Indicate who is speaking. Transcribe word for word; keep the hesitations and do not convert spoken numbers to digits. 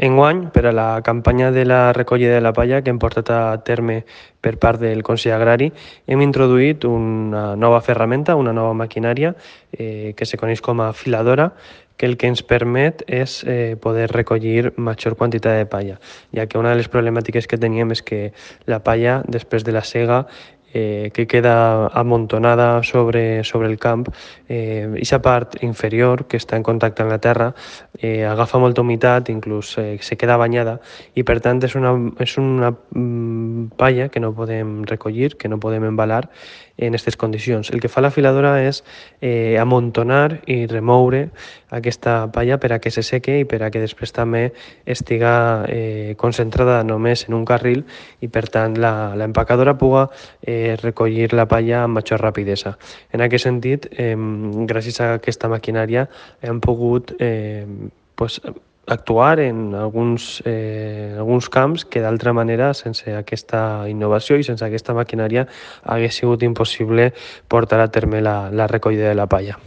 Speaker 1: Enguany, per a la campanya de la recollida de la palla que hem portat a terme per part del Consell Agrari, hem introduït una nova ferramenta, una nova maquinària eh, que se coneix com a filadora, que el que ens permet és eh, poder recollir major quantitat de palla, ja que una de les problemàtiques que teníem és que la palla, després de la sega, eh, que queda amontonada sobre, sobre el camp, eh, aquesta part inferior que està en contacte amb la terra eh, agafa molta humitat, inclús eh, se queda banyada i per tant és una, és una mm, palla que no podem recollir, que no podem embalar en aquestes condicions. El que fa la filadora és eh, amontonar i remoure aquesta palla per a que se seque i per a que després també estiga eh, concentrada només en un carril i per tant l'empacadora puga eh, recollir la palla amb major rapidesa. En aquest sentit, eh, gràcies a aquesta maquinària hem pogut eh, pues, actuar en alguns, eh, alguns camps que d'altra manera, sense aquesta innovació i sense aquesta maquinària, hagués sigut impossible portar a terme la, la recollida de la palla.